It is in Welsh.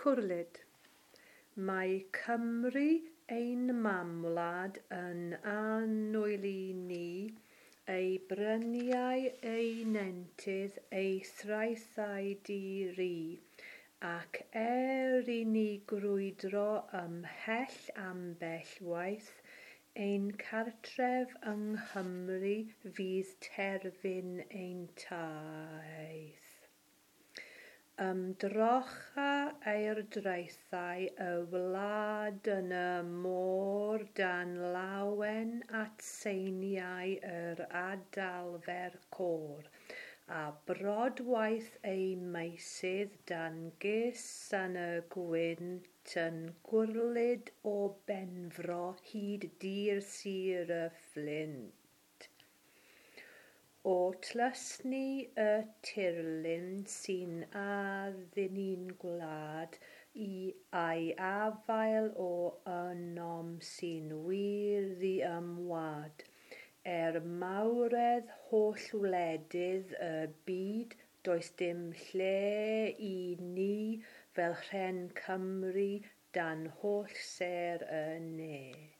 Cwrlid. Mae Cymru ein mamwlad yn annwyl i ni, ei bryniau, ei nentydd, ei thraethau di-ri, ac er i ni grwydro ymhell ambell waith, ein cartref yng Nghymru fydd terfyn ein taith. Ymdrocha aerddraethau y wlad yn y môr dan lawen at seiniau yr adalfer côr, a brodwaith ei meysydd dan gus yn y gwynt yn gwrlid o Benfro hyd dir Sir y Fflint. O tlysni y tirlun sy'n addurno'n gwlad i a'i afael o ynom sy'n wir ddiymwad. Er mawredd holl wledydd y byd does dim lle i ni fel rhen Cymru dan holl sêr y ne.